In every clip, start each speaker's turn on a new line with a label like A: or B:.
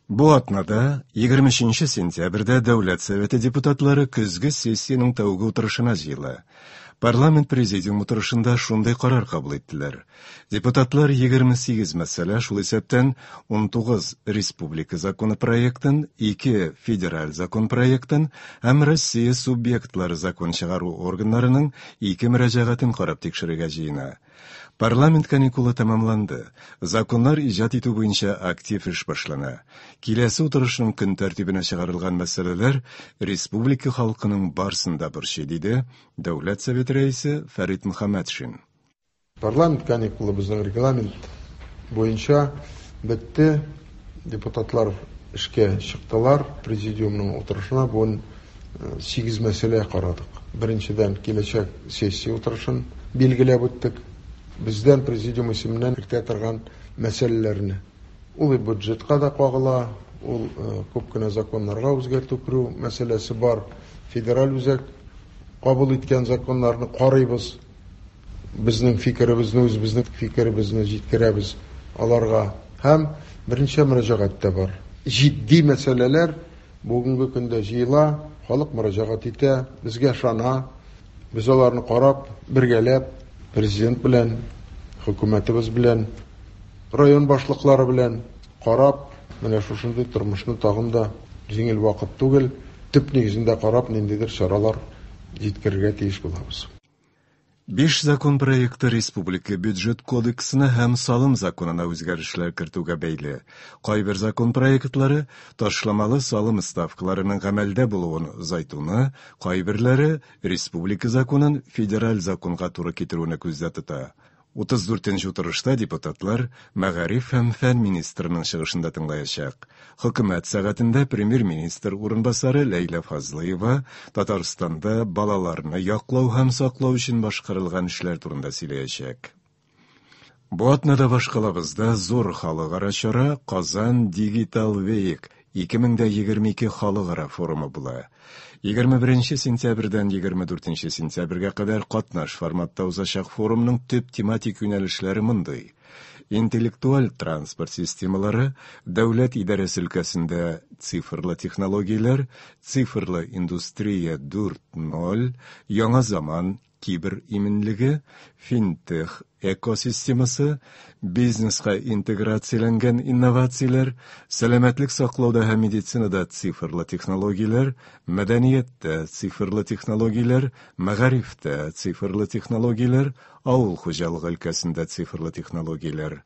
A: Бу атнада, 23 сентябрьдә Дәүләт Советы депутатлары көзге сессиянең тәүге утырышына җыела. Парламент президиум утырышында шундый карар кабул иттеләр. Депутатлар 28 мәсьәлә, шул исәптән 19 республика законы проектын, 2 федераль закон проектын һәм Россия субъектлары закон чыгару органнарының 2 мөрәҗәгатен карап тикшерергә җыена. Парламент каникулы тәмамланды. Законнар иҗат итү буенча актив эш башлана. Киләсе утырышның көн тәртибенә чыгарылган мәсьәләләр республика халкының барсын да борчый, диде Дәүләт Советы Рәисе Фәрит Мөхәммәтшин.
B: Парламент каникулы безнең регламент буенча бетте. Депутатлар эшкә чыктылар. Президиумның утырышына бүген 8 мәсьәлә карадык. Беренчедән, киләчәк сессия утырышын билгеләп үттек. Бездән президиум исеменнән кертә торган мәсьәләләрне. Ул бюджетка да кагыла, ул күп кенә законнарга үзгәртү керү мәсьәләсе бар. Федераль үзәк кабул иткән законнарны карыйбыз. Безнең фикеребезне, үзебезнең фикеребезне җиткерәбез аларга. Һәм берничә мөрәҗәгать тә бар. Җитди мәсьәләләр бүгенге көндә җыела, халык мөрәҗәгать итә, безгә ышана. Без аларны карап, бергәләп, президент белән, хөкүмәтебез белән, район башлыклары белән карап, менә шушындый тормышны тагын да җиңел вакыт түгел, төп нигезендә карап, ниндидер чаралар җиткерергә тиеш булабыз.
A: Биш закон проекты республика бюджет кодексына һәм салым законына үзгәрешләр кертүгә бәйле. Кайбер закон проектлары ташламалы салым ставкаларының гамәлдә булуын озайтуны, кайберләре республика законын федераль законга туры китерүне күздә тота. 34 нче утырышта депутатлар мәгариф һәм фән министрының чыгышын да тыңлаячак. Хөкүмәт сәгатендә премьер-министр урынбасары Ләйлә Фазлыева Татарстанда балаларны яклау һәм саклау өчен башкарылган эшләр турында сөйләячәк. Бу атнада башкалабызда зур халыкара чара Казан Digital Week 2022 халыкара форумы була. 21 сентябрьдән 24 сентябрьгә кадәр катнаш форматта узачак форумның төп тематик юнәлешләре мондый: интеллектуаль транспорт системалары, дәүләт идарәсе өлкәсендә цифрлы технологияләр, цифрлы индустрия 4.0, яңа заман кибер иминлеге, финтех экосистемасы, бизнеска интеграцияләнгән инновацияләр, сәламәтлек саклауда һәм медицинада цифрлы технологияләр, мәдәнияттә цифрлы технологияләр, мәгарифтә цифрлы технологияләр, авыл хуҗалыгы өлкәсендә цифрлы технологияләр.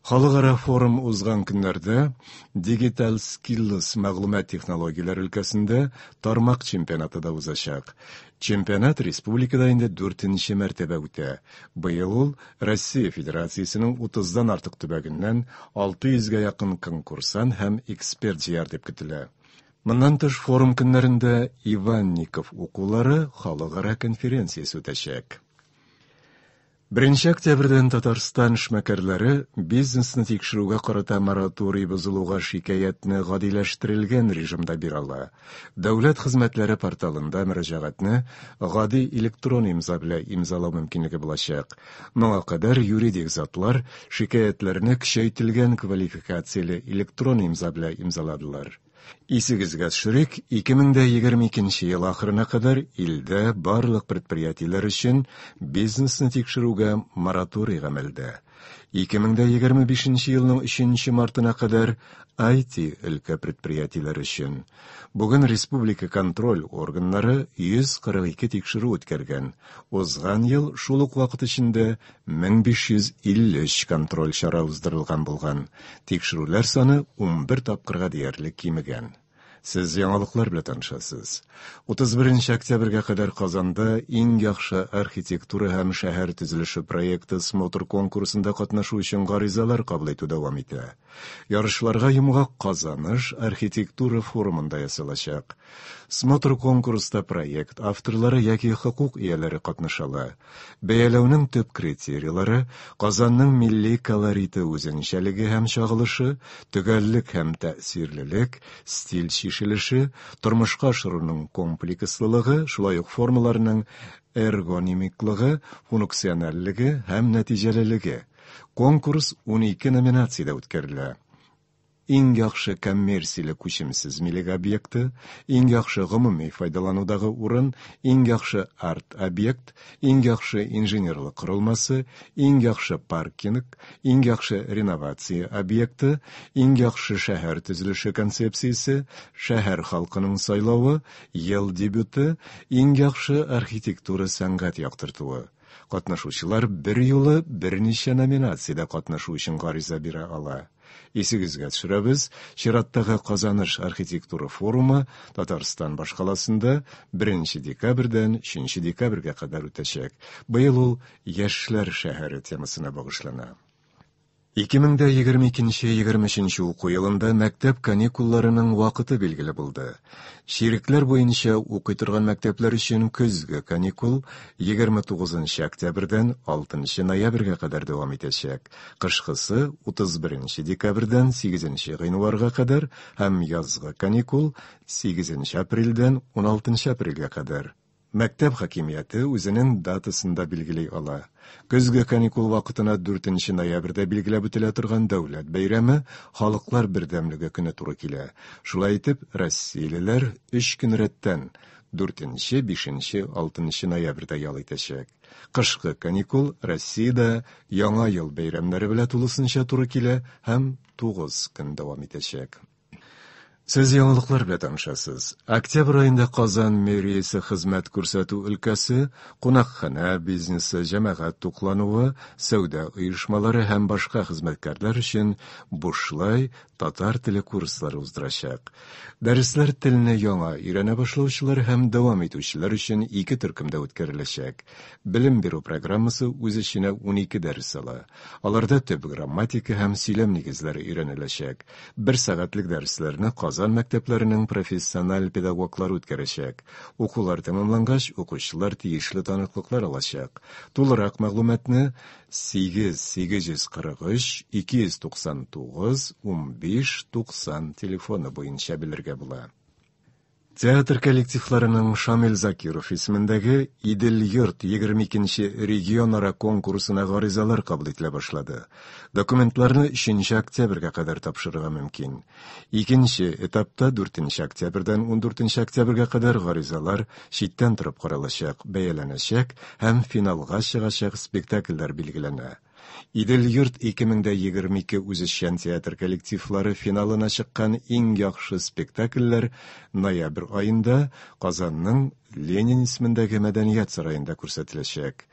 A: Халыкара форум узган көннәрдә Digital Skills мәгълүмат технологияләре өлкәсендә тармак чемпионаты да узачак. Чемпионат республикада инде дүртенче мәртәбә үтә. Быел ул Россия Федерациясенең утыздан артык төбәгеннән 600 гә якын конкурсант һәм эксперт җыяр дип көтелә. Моннан тыш форум көннәрендә Иванников укулары халыкара конференциясе үтәчәк. Беренче октябрьдән Татарстан эшмәкәрләре бизнесны тикшерүгә карата мораторий бозылуга шикаятьне гадиләштерелгән режимда бирә ала. Дәүләт хезмәтләре порталында мөрәҗәгатьне гади электрон имза белән имзалау мөмкинлеге булачак. Моңа кадәр юридик затлар шикаятьләрне көчәйтелгән квалификацияле электрон имза белән имзаладылар. Исегезгә төшерик, 2022 ел ахырына кадәр илдә барлык предприятиеләр өчен бизнесны тикшерүгә мораторий гамәлдә. 2025 елның 3 мартына кадәр IT өлкә предприятиеләре өчен. Бүген республика контроль органнары 142 тикшерү үткәргән. Узган ел шул ук вакыт эчендә 1553 контроль чара уздырылган булган. Тикшерүләр саны 11 тапкырга диярлек кимегән. Сез яңалыклар белән танышасыз. 31 октябрьгә кадәр Казанда иң яхшы архитектура һәм шәһәр төзелеше проекты смотр конкурсында катнашу өчен гаризалар кабул итү дәвам итә. Ярышларга йомгак Казаныш архитектура форумында ясалачак. Смотр-конкурста проект авторлары яки хокук ияләре катнаша ала. Бәяләүнең төп критерийлары, Казанның милли колориты үзенчәлеге һәм чагылышы, төгәллек һәм тәэсирлелек, стиль чишелеше, тормышка ашыруның комплекслылыгы, шулай ук формаларның эргонимиклыгы, функциональлеге һәм нәтиҗәлелеге. Конкурс 12 номинациядә үткәрелә. Иң яхшы коммерцияле күчемсез милек объекты, Иң яхшы гомуми файдаланудагы урын, Иң яхшы арт-объект, Иң яхшы инженерлык корылмасы, Иң яхшы паркинг, Иң яхшы реновация объекты, Иң яхшы шәһәр төзелеше концепциясе, Шәһәр халкының сайлавы, Ел дебюты, Иң яхшы архитектура сәнгать яктыртуы. Катнашучылар берьюлы берничә номинациядә катнашу өчен гариза бирә ала. Исегезгә төшерәбез, чираттагы Казаныш архитектура форумы Татарстан башкаласында 1 декабрьдән 3 декабрьгә кадәр үтәчәк. Быел ул Яшьләр шәһәре темасына багышлана. 2022-23 уку елында мәктәп каникулларының вакыты билгеле булды. Чирекләр буенча укый торган мәктәпләр өчен көзге каникул 29 октябрьдән 6 ноябрьгә кадәр дәвам итәчәк. Кышкысы 31 декабрьдән 8 гыйнварга кадәр һәм язгы каникул 8 апрельдән 16 апрельгә кадәр. Мәктәп хакимияте үзенең датасын да билгели ала. Көзге каникул вакытына 4 ноябрьдә билгеләп үтелә торган дәүләт бәйрәме Халыклар бердәмлеге көне туры килә. Шулай итеп, россиялеләр 3 көн рәттән 4, 5, 6 ноябрьдә ял итәчәк. Кышкы каникул Россиядә Яңа ел бәйрәмнәре белән тулысынча туры килә һәм 9 көн дәвам итәчәк. Сез яңалыклар белән танышасыз. Октябрь аенда Казан мэриясе хезмәт күрсәтү өлкәсе, кунакханә бизнесы, җәмәгать туклануы, сәүдә оешмалары һәм башка хезмәткәрләр өчен бушлай татар теле курслары уздырачак. Дәресләр телне яңа өйрәнә башлаучылар һәм дәвам итүчеләр өчен ике төркемдә үткәреләчәк. Белем бирү программасы үз эченә 12 дәрес ала. Аларда төп грамматика һәм сөйләм нигезләре өйрәнеләчәк. Бер сәгатьлек дәресләрне Казан мәктәпләренең профессиональ педагоглары үткәрәчәк. Укулар тәмамлангач, укучылар тиешле таныклыклар алачак. Тулырак мәгълүматны 8 843 299 15 90 телефоны буенча белергә була. Театр коллективларының Шамил Закиров исемендәге Идел-йорт 22 регионара конкурсына гаризалар кабул ителә башлады. Документларны 3 октябрьгә кадәр тапшырырга мөмкин. Икенче этапта 4 октябрьдән 14 октябрьгә кадәр гаризалар читтән торып каралачак, бәяләнәчәк һәм финалга чыгачак спектакльләр билгеләнә. Идел-йорт 2022 үзешчән театр коллективлары финалына чыккан иң яхшы спектакльләр ноябрь аенда Казанның Ленин исемендәге мәдәният сараенда күрсәтеләчәк.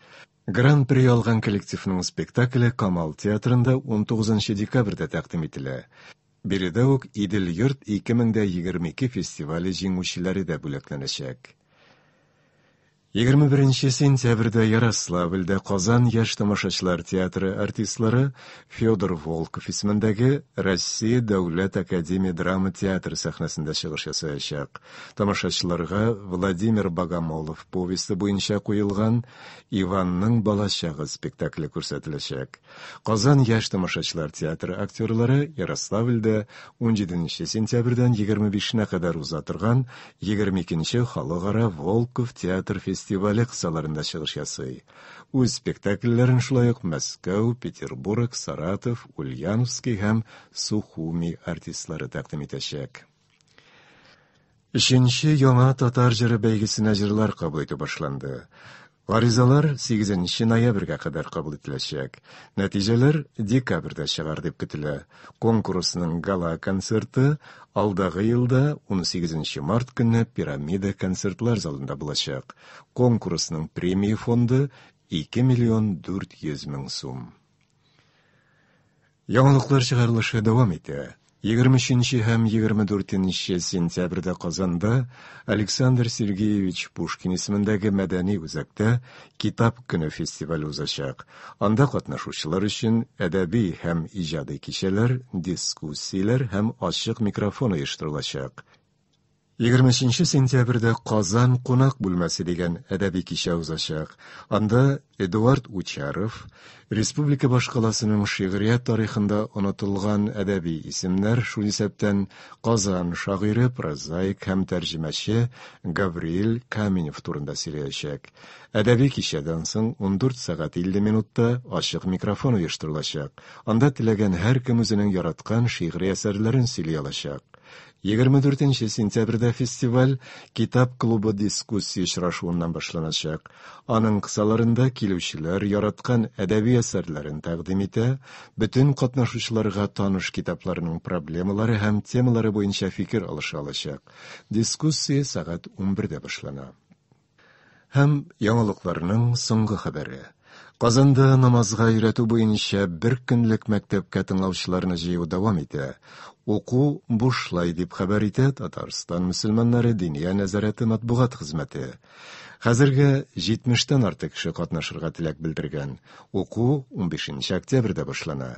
A: Гран-при алган коллективның спектакле Камал театрында 19 декабрьдә тәкъдим ителә. Биредә үк Идел-йорт 2022 фестивале җиңүчеләре дә бүләкләнәчәк. 21 сентябрьдә Ярославльдә Казан яшь тамашачылар театры артистлары Федор Волков исемендәге Россия дәүләт академия драма театры сәхнәсендә чыгыш ясаячак. Тамашачыларга Владимир Богомолов повесте буенча куелган Иванның балачагы спектакле күрсәтеләчәк. Казан яшь тамашачылар театры актерлары Ярославльдә 17 сентябрьдән 25-нә кадәр уза торган 22 халыкара Волков театр фестивале кысаларында чыгыш ясый. Үз спектакльләрен шулай ук Мәскәү, Петербург, Саратов, Ульяновский һәм Сухуми артистлары тәкъдим итәчәк. Өченче яңа татар җыры бәйгесенә җырлар кабул итү башланды. Гаризалар 8 ноябрьгә кадәр кабул ителәчәк. Нәтиҗәләр декабрьдә чыгар дип көтелә. Конкурсның гала-концерты алдагы елда 18 март көнне Пирамида концертлар залында булачак. Конкурсның премия фонды 2 миллион 400 мең сум. Яңалыклар чыгарылышы дәвам итә. 23 һәм 24 сентябрьдә Казанда Александр Сергеевич Пушкин исемендәге мәдәни үзәктә Китап көне фестивале узачак. Анда катнашучылар өчен әдәби һәм иҗади кичәләр, дискуссияләр һәм ачык микрофон оештырылачак. 23 сентябрьдә Казан кунак бүлмәсе дигән әдәби кичә узачак. Анда Эдуард Учаров республика башкаласының шигърият тарихында онытылган әдәби исемнәр, шул исәптән Казан шагыйре, прозаик һәм тәрҗемәче Гавриил Каменев турында сөйләячәк. Әдәби кичәдән соң 14 сәгать 50 минутта ачык микрофон оештырылачак. Анда теләгән һәркем үзенең яраткан шигъри әсәрләрен сөйли алачак. 24 сентябрьдә фестиваль Китап клубы дискуссия очрашуыннан башланачак. Аның кысаларында килүчеләр яраткан әдәби әсәрләрен тәкъдим итә, бөтен катнашучыларга таныш китапларның проблемалары һәм темалары буенча фикер алыша алачак. Дискуссия сәгать 11дә башлана. Һәм яңалыкларның соңгы хәбәре. Казанда намазга өйрәтү буенча бер көнлек мәктәпкә тыңлаучыларны җыю дәвам итә. Уку бушлай дип хәбәр итә Татарстан мөселманнары Диния нәзарәте матбугат хезмәте. Хәзергә 70тән артык кеше катнашырга теләк белдергән. Уку 15 октябрьдә башлана.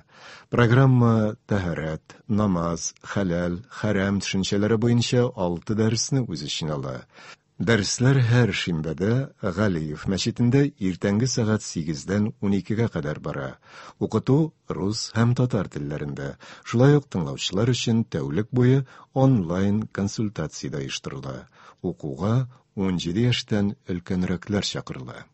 A: Программа тәһарәт, намаз, хәләл, хәрам төшенчәләре буенча 6 дәресне үз эченә ала. Дәресләр һәр шимбәдә Галиев мәчетендә иртәнге сәгать 8-дән 12-гә кадәр бара. Укыту рус һәм татар телләрендә. Шулай ук тыңлаучылар өчен тәүлек буе онлайн консультация дә оештырыла. Укуга 17 яшьтән өлкәнрәкләр чакырыла.